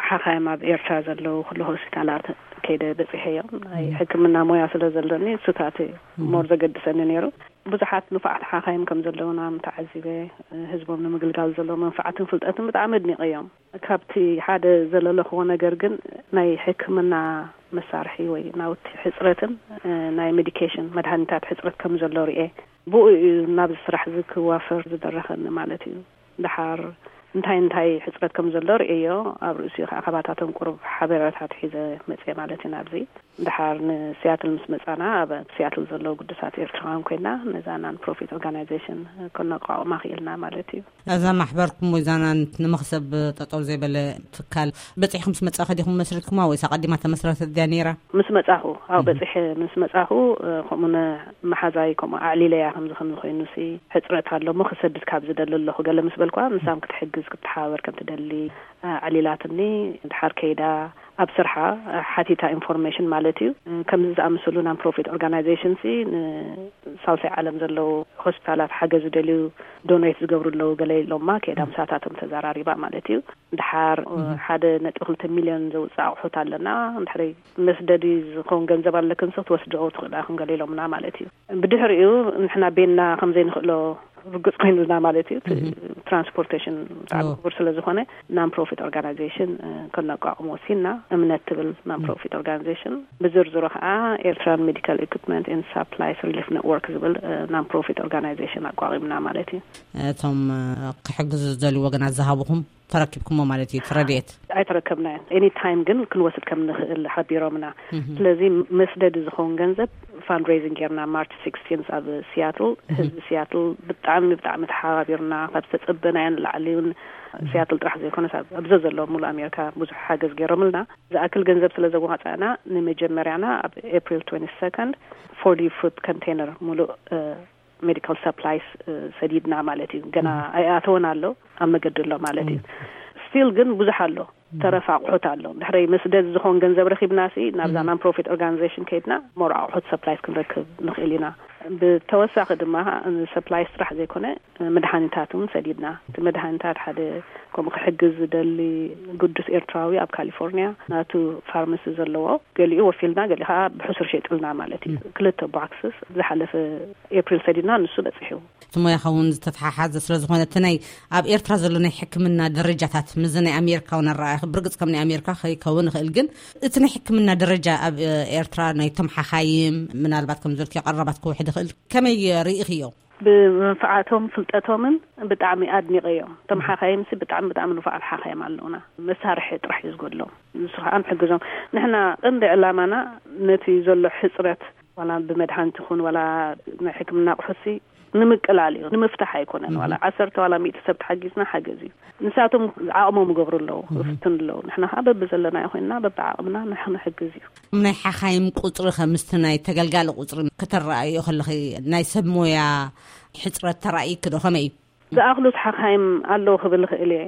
ሓኻይም ኣብ ኤርትራ ዘለዉ ኩሉ ሆስፒታላት ከይደ በጺሐዮም። ናይ እም። ሕክምና ሞያ ስለ ዘለኒ እሱታት እም። ሞር ዘገድሰኒ ነይሩ። ብዙሓት ንፉዓት ሓኻይም ከም ዘለዉና ተዓዚበ። እ፣ ህዝቦም ንምግልጋል ዘለዎም መንፋዕትን ፍልጠትን ብጣዕሚ ኣድኒቐዮም። ካብቲ ሓደ ዘለለኽዎ ነገር ግን ናይ ሕክምና መሳርሒ ወይ ናውቲ ሕጽረትን፣ እ፣ ናይ ሜዲኬሽን መድሃኒታት ሕጽረት ከም ዘሎ ርእየ። ብኡ እዩ ናብዚ ስራሕ እዚ ክዋፈር ዝደረኸኒ ማለት እዩ። ደሓር እንታይ እንታይ ሕጽረት ከም ዘሎ ርእየዮ፣ ኣብ ርእሲኡ ከዓ ካባታቶም ቁሩብ ሓበሬታታት ሒዘ መጽየ ማለት እዩ ናብዚ። ደሓር ንሲያትል ምስ መጻና፣ ኣብ ሲያትል ዘለዉ ግዱሳት ኤርትራውያን ኮይና፣ ነዛ ናን ፕሮፊት ኦርጋናይዜሽን ከነቋቑማ ክኢልና ማለት እዩ። እዛ ማሕበርኩም ወይ እዛ ናን ንመኽሰብ ጠጠው ዘይበለ ትካል በጺሕኩም ምስ መጻእኺ ዲኹም መስሪትኩማ ወይስ ኣቐዲማ ተመስረተት ድያ ነይራ? ምስ መጻኹ፣ ኣብ እህ። በጺሐ ምስ መጻኹ፣ እ፣ ከምኡ ነ-፣ መሓዛይ ከምኡ ኣዕሊለያ ከምዚ ከምዚ ኮይኑሲ ሕጽረት ኣሎ፣ እሞ ክሰድድ ካብ ዝደሊ ኣለኹ ገለ ምስ በልኳ፣ ንሳም ክትሕግዝ ክትተሓባበር ከም ትደሊ፣ እ፣ ኣዕሊላትኒ። ድሓር ከይዳ ኣብ ስርሓ፣ እ፣ ሓቲታ ኢንፎርሜሽን ማለት እዩ። እ፣ ከምዚ ዝኣመሰሉ ናን ፕሮፊት ኦርጋናይዜሽን ሲ ንሳልሳይ ዓለም ዘለዉ ሆስፒታላት ሓገዝ ዝደልዩ ዶኔት ዝገብሩ ኣለዉ ገለ ኢሎማ፣ ከይዳ እህ። ምሳታቶም ተዘራሪባ ማለት እዩ። ድሓር፣ እህ። ሓደ ነጥቢ ክልተ ሚልዮን ዘውፅእ ኣቑሑት ኣለና። እንድሕሪ መስደዲ ዝኸውን ገንዘብ ኣለክን ሲ ክትወስድኦ ትኽእላ ክንገለ ኢሎምና ማለት እዩ። ብድሕሪኡ ንሕና ቤንና ከም ዘይንኽእሎ ርግፅ ኮይኑልና ማለት እዩ። እቲ እህ። ትራንስፖርቴሽን ብጣዕሚ ኦ። ክቡር ስለ ዝኾነ ናን ፕሮፊት ኦርጋናይዜሽን፣ እ፣ ከነቋቁሞ ወሲንና። እምነት ትብል ናን እህ። ፕሮፊት ኦርጋናይዜሽን፣ ብዝርዝሩ ከዓ ኤርትራን ሜዲካል ኢኩፕመንት ኤንድ ሳፕላይስ ሪሊፍ ኔትወርክ ዝብል፣ እ፣ ናን ፕሮፊት ኦርጋናይዜሽን ኣቋቂምና ማለት እዩ። እቶም፣ እ፣ ክሕግዙ ዝደልዩ ወገናት ዝሃብኹም ተረኪብኩሞ ማለት እዩ፣ እቲ ረድኤት? ኣይተረከብናዮን። ኤኒ ታይም ግን ክንወስድ ከም ንኽእል ሓቢሮምና። እህ። ስለዚ መስደዲ ዝኸውን ገንዘብ ፋንድሬይዚንግ ጌርና ማርች ሲክስቲን ኣብ ሲያትል። እህ። ህዝቢ ሲያትል ብጣዕሚ፣ ብጣዕሚ ተሓባቢሩና። ካብ ዝተጸበናዮ ንላዕሊ እውን እህ። ሲያትል ጥራሕ ዘይኮነስ ኣብ፣ ኣብ ዘዘሎ ሙሉእ ኣሜሪካ ብዙሕ ሓገዝ ገይሮምልና። ዝኣክል ገንዘብ ስለ ዘዋጻእና ንመጀመርያና ኣብ ኤፕሪል ትዌንቲ ሰከንድ ፎርቲ ፉት ኮንቴነር ሙሉእ፣ እ፣ ሜዲካል ሰፕላይስ፣ እ፣ ሰዲድና ማለት እዩ። ገና እም። ኣይኣተወን ኣሎ፣ ኣብ መገዲ ኣሎ ማለት እዩ። እም። ስቲል ግን ብዙሕ ኣሎ፣ እም። ተረፍ ኣቑሑት ኣሎ። ድሕሪ መስደድ ዝኾን ገንዘብ ረኺብና ሲ ናብዛ እም። ናን ፕሮፊት ኦርጋናይዜሽን ከይድና ሞር ኣቑሑት ሰፕላይስ ክንረክብ ንኽእል ኢና። ብተወሳኺ ድማ፣ እ፣ ሰፕላይስ ጥራሕ ዘይኮነ፣ እ፣ መድሃኒታት እውን ሰዲድና። እቲ መድሃኒታት ሓደ ከምኡ ክሕግዝ ዝደሊ ግዱስ ኤርትራዊ ኣብ ካሊፎርኒያ ናቱ ፋርማሲ ዘለዎ፣ ገሊኡ ወፊልና፣ ገሊኡ ከዓ ብሕሱር ሸይጥልና ማለት እዩ። እም። ክልተ ቦክስስ ዝሓለፈ ኤፕሪል ሰዲድና፣ ንሱ በፂሑ። እቲ ሞያኻ እውን ዝተተሓሓዘ ስለ ዝኾነ፣ እቲ ናይ ኣብ ኤርትራ ዘሎ ናይ ሕክምና ደረጃታት ምስዚ ናይ ኣሜሪካ እውን ኣረኣእያ፣ ብርግጽ ከም ናይ ኣሜሪካ ከይከውን ይኽእል፣ ግን እቲ ናይ ሕክምና ደረጃ ኣብ፣ እ፣ ኤርትራ ናይቶም ሓኻይም ምናልባት ከም ዝበልክዮ ቀረባት ክውሕድ ይኽእል፣ ከመይ ርኢኽዮ? ብመንፍዓቶም ፍልጠቶምን ብጣዕሚ ኣድኒቐዮም። እቶም ሓኻይምሲ ብጣዕሚ፣ ብጣዕሚ ንፉዓት ሓኻይም ኣለዉና። መሳርሒ ጥራሕ እዩ ዝጎድሎም። ንሱ ከዓ ንሕግዞም። ንሕና ቀንዲ ዕላማና ነቲ ዘሎ ሕጽረት፣ ዋላ ብመድሃኒት ይኹን ዋላ ናይ ሕክምና ኣቑሑትሲ ንምቅላል እዩ፣ ንምፍታሕ ኣይኮነን። እህ። ዋላ ዓሰርተ ዋላ ሚእቲ ሰብ ተሓጊዝና ሓገዝ እዩ። ንሳቶም ዓቕሞም ይገብሩ ኣለዉ፣ እህ። ይፍትኑ ኣለዉ። ንሕና ከዓ በብዘለናዮ ኮይንና በብዓቕምና ንሕ-፣ ንሕግዝ እዩ። ናይ ሓኻይም ቁጽሪ ከ ምስቲ ናይ ተገልጋሊ ቁጽሪ ከተረኣዮ ከለኺ፣ ናይ ሰብ ሞያ ሕጽረት ተራእይኪ ዶ? ከመይ እዩ? ዝኣኽሉ ሓኻይም ኣለዉ ክብል እኽእል እየ።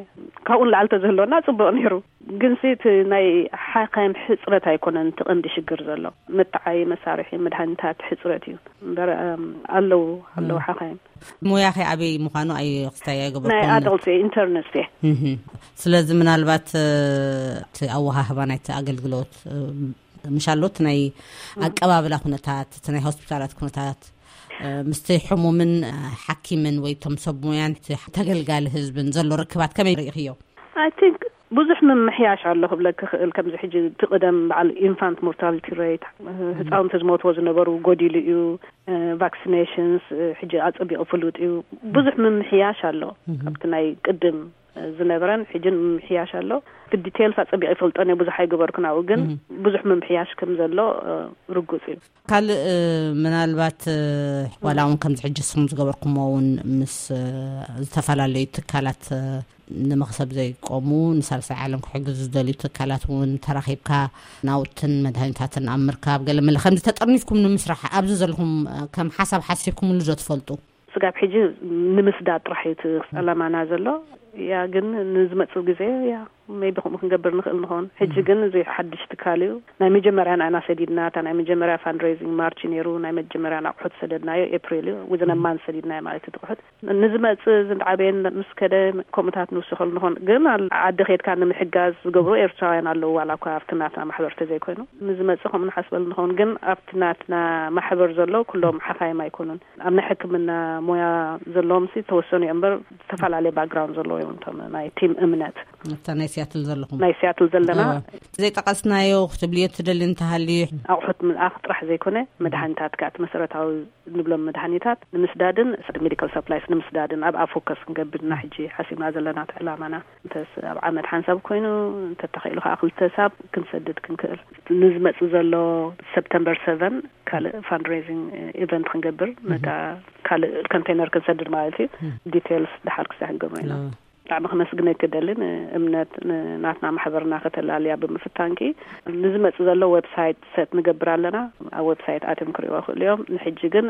ካብኡ ንላዕሊ ተዝህልወና ጽቡቕ ነይሩ። ግንሲ እቲ ናይ ሓኻይም ሕጽረት ኣይኮነን እቲ ቀንዲ ሽግር ዘሎ። መተዓይ መሳርሒ መድሃኒታት ሕጽረት እዩ። እምበር፣ እም፣ ኣለዉ፣ ኣለዉ እም። ሓኻይም። ሞያኺ ኣበይ ምዃኑ ኣይ ክስታይ ኣይገበርኩን። ናይ ኣዶልት እየ፣ ኢንተርኒስት እየ። እህ። ስለዚ ምናልባት፣ እ፣ እቲ ኣወሃህባ ናይቲ ኣገልግሎት፣ እ፣ ምሽ ኣሎ፣ እቲ ናይ እም። ኣቀባብላ ኩነታት፣ እቲ ናይ ሆስፒታላት ኩነታት፣ እ፣ ምስቲ ሕሙምን፣ እ፣ ሓኪምን ወይ እቶም ሰብ ሞያን እቲ ተገልጋሊ ህዝብን ዘሎ ርክባት ከመይ ርኢኽዮ? I think ብዙሕ ምምሕያሽ ኣሎ ክብለክ ክእል። ከምዚ ሕጂ እቲ ቅደም በዓል ኢንፋንት ሞርታሊቲ ሬት፣ ህፃውንቲ ዝሞትዎ ዝነበሩ ጎዲሉ እዩ። ቫክሲኔሽንስ ሕጂ ኣጸቢቑ ፍሉጥ እዩ። ብዙሕ ምምሕያሽ ኣሎ ካብቲ ናይ ቅድም ዝነበረን ሕጅን ምምሕያሽ ኣሎ። ብዲቴልስ ኣጸቢቑ ይፈልጦን እየ፣ ብዙሕ ኣይገበርኩን ኣብኡ፣ ግን ብዙሕ ምምሕያሽ ከም ዘሎ ርጉጽ እዩ። ካልእ ምናልባት ዋላ እውን ከምዚ ሕጂ ስም ዝገበርኩሞ እውን ምስ ዝተፈላለዩ ትካላት ንመኽሰብ ዘይቆሙ ንሳልሳይ ዓለም ክሕግዙ ዝደልዩ ትካላት እውን ተራኺብካ ናውትን መድሃኒታትን ኣብ ምርካብ ገለ መለ ከምዚ ተጠርኒፍኩም ንምስራሕ ኣብዚ ዘለኹም ከም ሓሳብ ሓሲብኩምሉ ዶ ትፈልጡ? ስጋብ ሕጂ ንምስዳድ ጥራሕ እዩ እቲ ዕላማና ዘሎ። ያ ግን ንዝመጽእ ግዜ ያ ሜቢ ከምኡ ክንገብር ንኽእል ንኸውን። ሕጂ ግን እዚ ሓድሽ ትካል እዩ። ናይ መጀመርያ ንኣና ሰዲድና፣ እታ ናይ መጀመርያ ፋንድሬዚንግ ማርች ነይሩ። ናይ መጀመርያ ንኣቑሑት ሰደድናዮ ኤፕሪል እዩ። ውዝን ማን ሰዲድናዮ ማለት እቲ ኣቑሑት ንዝመጽእ ዝዓበየን ምስ ከደ ከምኡታት ንውስኸሉ ንኾን። ግን ኣል-፣ ዓዲ ኬድካ ንምሕጋዝ ዝገብሩ ኤርትራውያን ኣለዉ፣ ዋላ እኳ ኣብቲ ናትና ማሕበር ተዘይኮይኑ። ንዝመጽእ ከምኡ ንሓስበሉ ንኾን። ግን ኣብቲ ናትና ማሕበር ዘለዉ ኩሎም ሓኻይም ኣይኮኑን። ኣብ ናይ ሕክምና ሞያ ዘለዎም ሲ ተወሰኑ እዮም እምበር፣ ዝተፈላለየ ባክግራውንድ ዘለዎ እዮም። እቶም ናይ ቲም እምነት እታ ናይ ሲያትል ዘለኹም ናይ ሲያትል ዘለና እወ። ዘይጠቐስናዮ ክትብልዮ ትደሊ እንተሃልዩ? ኣቑሑት ምልኣኽ ጥራሕ ዘይኮነ፣ መድሃኒታት ከኣ እቲ መሰረታዊ ንብሎም መድሃኒታት ንምስዳድን ሜዲካል ሰፕላይስ ንምስዳድን ኣብኣ ፎከስ ክንገብር ኢና ሕጂ ሓሲብና ዘለና። እቲ ዕላማና እንተስ ኣብ ዓመት ሓንሳብ ኮይኑ፣ እንተተኸኢሉ ከዓ ክልተ ሳብ ክንሰድድ ክንክእል። ንዝመጽእ ዘሎ ሰፕተምበር ሰቨን ካልእ ፋንድሬዚንግ ኢቨንት ክንገብር፣ ነታ ካልእ ኮንቴነር ክንሰድድ ማለት እዩ። ዲቴልስ ድሓር ክሳዕ ክንገብሮ ኢና። ብጣዕሚ ክነስግነኪ ደልን እምነት ናትና ማሕበርና ከተላልያ ብምፍታንኪ። ንዝመጽእ ዘሎ ዌብሳይት ሰት ንገብር ኣለና። ኣብ ዌብሳይት ኣትዮም ክርእይዎ ይኽእሉ እዮም። ንሕጂ ግን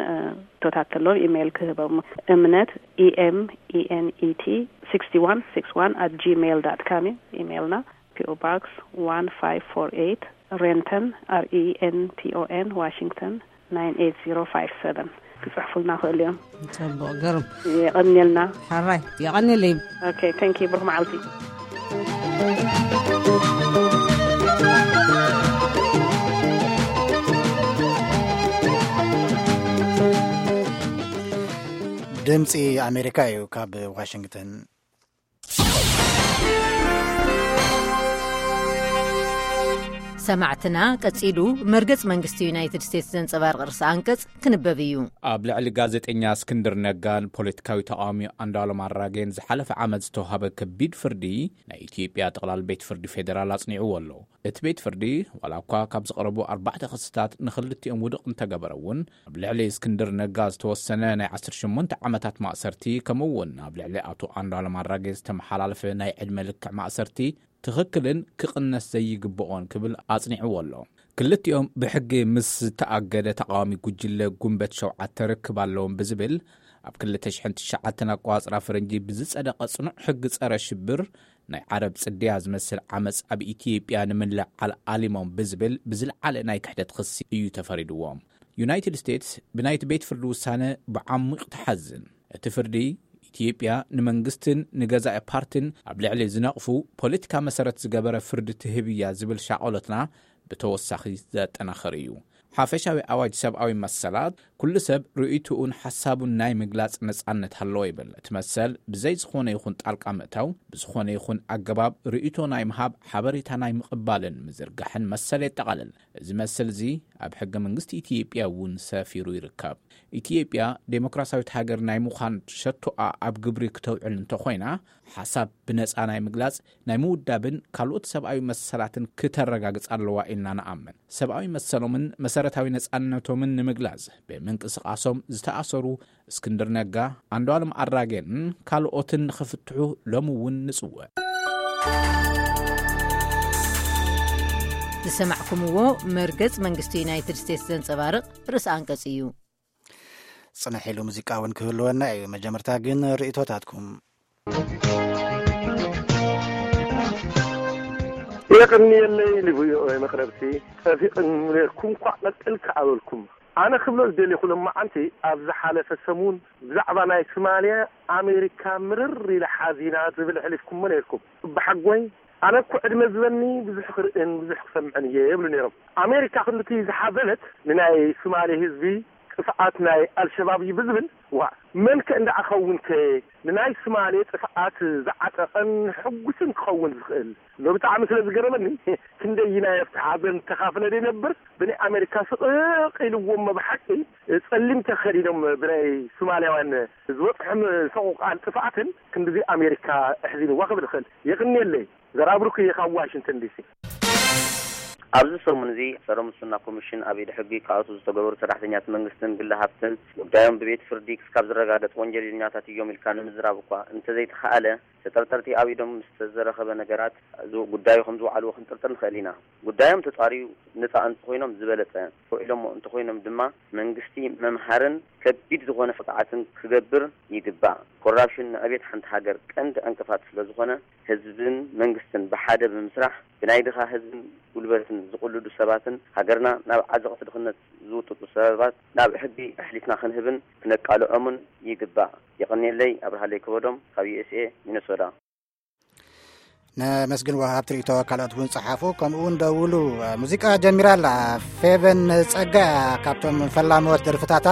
ቶታት ተለዎም ኢሜይል ክህቦም። እምነት፣ E M E N E T sixty one six one at gmail dot com እዩ ኢሜይልና። P O Box one five four eight, Renton, R E N T O N, Washington nine eight zero five seven ክጽሕፉልና ክእሉ እዮም። ጽቡቕ፣ ግርም። የቐንየልና። ሓራይ፣ የቐንየለይ። ኦኬ፣ thank you። ብሩኽ መዓልቲ። ድምፂ ኣሜሪካ እዩ ካብ ዋሽንግተን። ሰማዕትና፣ ቀጺሉ መርገጽ መንግስቲ ዩናይትድ ስቴትስ ዘንጸባርቕ ርእሰ ኣንቀጽ ክንበብ እዩ። ኣብ ልዕሊ ጋዜጠኛ እስክንድር ነጋን ፖለቲካዊ ተቓዋሚ ኣንዱዓለም ኣራጌን ዝሓለፈ ዓመት ዝተዋህበ ከቢድ ፍርዲ ናይ ኢትዮጵያ ጠቕላል ቤት ፍርዲ ፌዴራል ኣጽኒዕዎ ኣሎ። እቲ ቤት ፍርዲ ዋላ እኳ ካብ ዝቐረቡ ኣርባዕተ ክስታት ንኽልቲኦም ውድቕ እንተገበረ እውን፣ ኣብ ልዕሊ እስክንድር ነጋ ዝተወሰነ ናይ ዓሰርተ ሸሞንተ ዓመታት ማእሰርቲ፣ ከምኡ እውን ኣብ ልዕሊ ኣቶ ኣንዱዓለም ኣራጌ ዝተመሓላለፈ ናይ ዕድመ ልክዕ ማእሰርቲ ትኽክልን ክቕነስ ዘይግብኦን ክብል ኣጽኒዕዎ ኣሎ። ክልቲኦም ብሕጊ ምስ ዝተኣገደ ተቓዋሚ ጉጅለ ጉንበት ሸውዓተ ርክብ ኣለዎም ብዝብል ኣብ ክልተ ሽሕን ትሽዓተን ኣቋጽራ ፈረንጂ ብዝጸደቐ ጽኑዕ ሕጊ ጸረ ሽብር ናይ ዓረብ ጽድያ ዝመስል ዓመጽ ኣብ ኢትዮጵያ ንምልዓል ኣሊሞም ብዝብል ብዝለዓለ ናይ ክሕደት ክሲ እዩ ተፈሪድዎም። ዩናይትድ ስቴትስ ብናይቲ ቤት ፍርዲ ውሳነ ብዓሚቕ ትሓዝን። እቲ ፍርዲ ኢትዮጵያ ንመንግስትን ንገዛኢ ፓርትን ኣብ ልዕሊ ዝነቕፉ ፖለቲካ መሰረት ዝገበረ ፍርዲ ትህብ እያ ዝብል ሻቐሎትና ብተወሳኺ ዘጠናኽር እዩ። ሓፈሻዊ ኣዋጅ ሰብኣዊ መሰላት፣ ኩሉ ሰብ ርእይቶኡን ሓሳቡን ናይ ምግላጽ ነጻነት ኣለዎ ይብል። እቲ መሰል ብዘይ ዝኾነ ይኹን ጣልቃ ምእታው፣ ብዝኾነ ይኹን ኣገባብ ርእይቶ ናይ ምሃብ፣ ሓበሬታ ናይ ምቕባልን ምዝርጋሕን መሰል የጠቓልል። እዚ መሰል እዚ ኣብ ሕገ መንግስቲ ኢትዮጵያ እውን ሰፊሩ ይርከብ። ኢትዮጵያ ዴሞክራሲያዊት ሃገር ናይ ምዃን ሸቶኣ ኣብ ግብሪ ክተውዕል እንተኾይና፣ ሓሳብ ብነጻ ናይ ምግላጽ፣ ናይ ምውዳብን ካልኦት ሰብኣዊ መሰላትን ክተረጋግጽ ኣለዋ ኢልና ንኣምን። ሰብኣዊ መሰሎምን መሰረታዊ ነጻነቶምን ንምግላጽ ብምንቅስቓሶም ዝተኣሰሩ እስክንድር ነጋ፣ ኣንዱዓለም ኣራጌን ካልኦትን ንኽፍትሑ ሎሚ እውን ንጽውዕ። ዝሰማዕኩምዎ መርገጽ መንግስቲ ዩናይትድ ስቴትስ ዘንጸባርቕ ርእሰ ኣንቀጽ እዩ። ጽንሕ ኢሉ ሙዚቃ እውን ክህልወና እዩ። መጀመርታ ግን ርእይቶታትኩም። የቐንየለይ ንቪኦኤ መቕረብቲ። ጠፊቕን ነርኩም፣ ኳዕ ቀጥል ክኣበልኩም። ኣነ ክብሎ ዝደልየ ኩሎም መዓንቲ ኣብ ዝሓለፈ ሰሙን ብዛዕባ ናይ ሶማልያ ኣሜሪካ ምርር ኢለ ሓዚና ዝብል ኣሕሊፍኩሞ ነርኩም። ብሓጎይ ኣነ እኮ ዕድመ ዝበኒ ብዙሕ ክርእን ብዙሕ ክሰምዕን እየ ይብሉ ነይሮም። ኣሜሪካ ክንድቲ ዝሓዘነት ንናይ ሶማሌ ህዝቢ ጥፍኣት ናይ ኣልሸባብ እዩ ብዝብል፣ ዋ፣ መን ከ እንዳኣ ኸውንከ ንናይ ስማሌ ጥፍኣት ዝዓጠቐን ሕጉስን ክኸውን ዝኽእል? ሎ ብጣዕሚ ስለ ዝገረመኒ፣ ክንደይናይ ኣብቲ ሓዘን ተኻፍለ ደይነብር? ብናይ ኣሜሪካ ስቕቕ ኢልዎም፣ ብሓቂ ጸሊም ተኸዲኖም ብናይ ሶማልያውያን ዝበጽሖም ሰቑቓን ጥፍኣትን ክንድዚ ኣሜሪካ ኣሕዚንዋ ክብል ይኽእል። የቕንየለይ። ዘራብሩክ እየ ካብ ዋሽንግተን ዲሲ። ኣብዚ ሰሙን እዚ ጸረ ሙስና ኮሚሽን ኣብ ኢድ ሕጊ ክኣትዉ ዝተገበሩ ሰራሕተኛት መንግስትን ግለ ሃብትን ጉዳዮም ብቤት ፍርዲ ክስካብ ዝረጋገጽ ወንጀለኛታት እዮም ኢልካ ንምዝራብ እኳ እንተዘይተኻእለ፣ ተጠርጠርቲ ኣብ ኢዶም ምስ ዝተዘረኸበ ነገራት እዚ ጉዳዩ ከም ዝወዓልዎ ክንጥርጥር ንኽእል ኢና። ጉዳዮም ተጻርዩ ነጻ እንተኾይኖም ዝበለጸ፣ ውዒሎሞ እንተኾይኖም ድማ መንግስቲ መምሃርን ከቢድ ዝኾነ ቅጽዓትን ክገብር ይግባእ። ኮራፕሽን ንዕቤት ሓንቲ ሃገር ቀንዲ ዕንቅፋት ስለ ዝኾነ ህዝብን መንግስትን ብሓደ ብምስራሕ ብናይ ድኻ ህዝብን ጉልበትን ዝቕልዱ ሰባትን ሃገርና ናብ ዓዘቕቲ ድኽነት ዝውጥጡ ሰባት ናብ ሕጊ ኣሕሊፍና ክንህብን ክነቃልዖምን ይግባእ። የቐንየለይ። ኣብርሃለይ ክበዶም ካብ ዩ ኤስ ኤ ሚነሶታ። ነመስግን ወሃብቲ ርእይቶ ካልኦት እውን ጸሓፉ። ከምኡ እውን ደውሉ። ሙዚቃ ጀሚራ ኣላ። ፌቨን ጸጋ እያ ካብቶም ፈላመዎት ደርፍታታ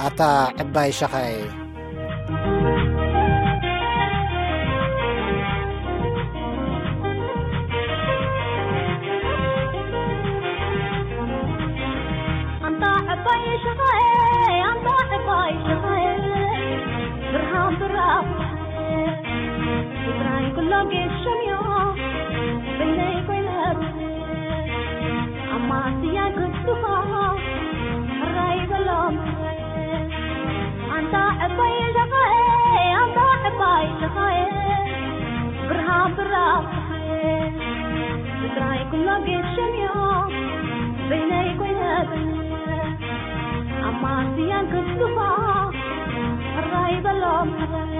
ኣብታ ዕባይ ሸኻይ። ኣንታ ዕባይ ሸኻየ፣ ኣንታ ዕባይ ሸኻየ፣ ብርሃን ብራቕ ጸሓየ፣ ስድራይ ኩሎም ጌሾምዮ፣ በይነይ ኮይነ ብየ፣ ኣማስያ ክስቱፋ፣ ሕራይ በሎም። ኣንታ ዕባይ ሸኻየ፣ ኣንታ ዕባይ ሸኻየ፣ ብርሃን ብራቕ ጸሓየ፣ ስድራይ ኩሎም ጌሾምዮ፣ በይነይ ኮይነ ብየ፣ ኣማስያን ክስቱፋ፣ ሕራይ በሎም ሕራይ።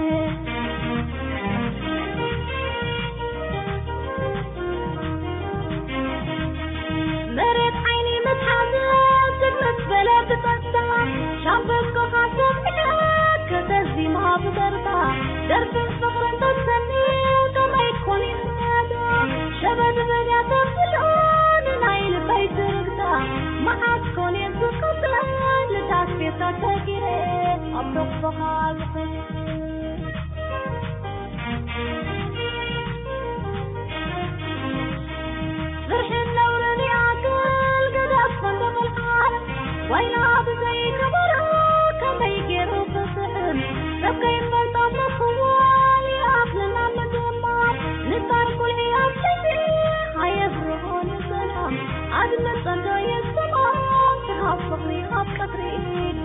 መሬት ዓይኒ መትሓዚ፣ ትግርት በለ ብጸጥታ፣ ሻምበቆኻ ሰሚዐ፣ ከተዚማ ብደርታ፣ ደርፍን ፍቕርን ተሰኒ፣ ከመይ ኮን ይፍረዳ፣ ሸበድ በዳ ተብሎ፣ ንናይ ልበይ ትርግታ፣ መዓስ ኮን እየ ዝቐጽለ፣ ንታስቤታ ሰጊረ፣ ኣብ ሕቕፎኻ ዝኽረ። ፍርሕን ነውርን ይኣክል፣ ግደፍ ሰንደቕ ኣልዓል፣ ዋይላ ብዘይ ከበሮ፣ ከመይ ገይሩ ክስሕል፣ ሰብ ከይፈልጦ ምኽዋል፣ ይኣኽለና ምድማር፣ ንጣር ቁልዒ ኣብ ለይቲ፣ ኣየፍርሆ ንሰላም፣ ኣድመ ጸንዶ የስተማም፣ ፍርሃት ፍቕሪ ኣብ ቀትሪ፣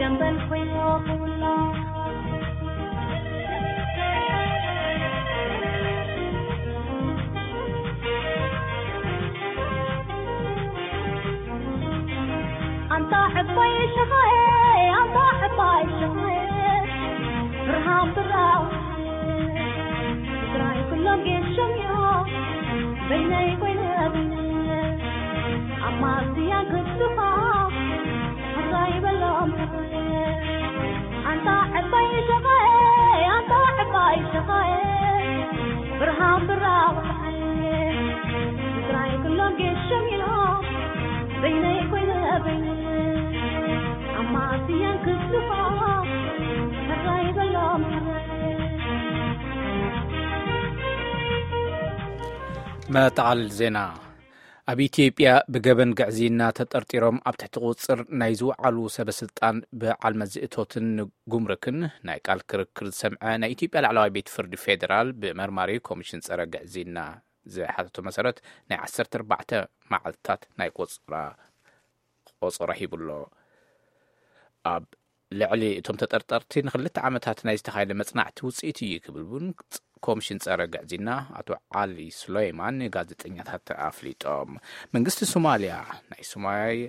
ገምበል ኮይኑ ክውላዕ። ኣንታ ዕባይ ሸኻየ፣ ኣንታ ዕባይ ሸኻየ፣ ብርሃን ብራቕ፣ ስድራይ ኩሎም ጌሾምዮ፣ በይነይ ኮይነ ብየ፣ ኣማስያ ክስቱፋ፣ ሕራይ በሎም ሕራይ። ኣንታ ዕባይ ሸኻየ፣ ኣንታ ዕባይ ሸኻየ፣ ብርሃን ብራቕ ጸሓየ፣ ስድራይ ኩሎም ጌሾም ኢሎም፣ በይነይ ኮይነ በይነ፣ ኣማስያን ክስቱፋ፣ ሕራይ በሎም ሕራይ። መጠቓልል ዜና። ኣብ ኢትዮጵያ ብገበን ግዕዝይና ተጠርጢሮም ኣብ ትሕቲ ቁጽጽር ናይ ዝወዓሉ ሰበ ስልጣን፣ በዓል መዚ እቶትን ጉምሩክን ናይ ቃል ክርክር ዝሰምዐ ናይ ኢትዮጵያ ላዕለዋይ ቤት ፍርዲ ፌዴራል፣ ብመርማሪ ኮሚሽን ጸረ ግዕዝይና ዝሓተቶ መሰረት ናይ ዓሰርተ ኣርባዕተ መዓልትታት ናይ ቆጸራ ቆጸራ ሂቡ ኣሎ። ኣብ ልዕሊ እቶም ተጠርጠርቲ ንኽልተ ዓመታት ናይ ዝተኻየደ መጽናዕቲ ውጽኢት እዩ ክብል እውን ኮሚሽን ጸረ ግዕዝይና ኣቶ ዓሊ ሱለይማን ንጋዜጠኛታት ኣፍሊጦም። መንግስቲ ሶማልያ ናይ ሶማይ-፣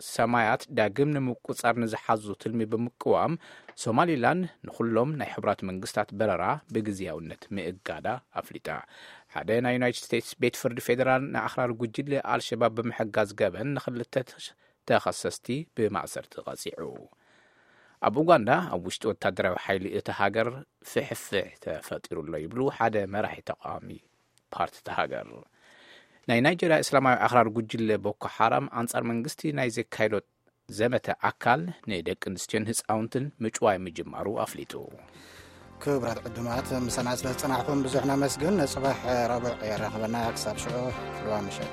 ሰማያት ዳግም ንምቁጻር ንዝሓዙ ትልሚ ብምቅዋም፣ ሶማሊላንድ ንኹሎም ናይ ሕቡራት መንግስታት በረራ ብግዝያውነት ምእጋዳ ኣፍሊጣ። ሓደ ናይ ዩናይትድ ስቴትስ ቤት ፍርዲ ፌዴራል ንኣኽራሪ ጉጅለ ኣልሸባብ ብምሕጋዝ ገበን ንኽልተ ተኸሰስቲ ብማእሰርቲ ቀጺዑ። ኣብ ኡጋንዳ፣ ኣብ ውሽጢ ወታደራዊ ሓይሊ እታ ሃገር ፍሕፍሕ ተፈጢሩ ኣሎ ይብሉ ሓደ መራሒ ተቃዋሚ ፓርቲ እታ ሃገር። ናይ ናይጀርያ እስላማዊ ኣኽራሪ ጉጅለ ቦኮ ሓራም ኣንጻር መንግስቲ ናይ ዘካየዶ ዘመተ ኣካል ንደቂ ኣንስትዮን ህፃውንትን ምጭዋይ ምጅማሩ ኣፍሊጡ። ክቡራት ዕዱማት፣ ምሳና ስለ ዝጸናሕኩም ብዙሕ ነመስግን። ንጽባሕ ረቡዕ የራኽበና። ክሳብ ሽዑ፣ ሕልዋ ምሸት።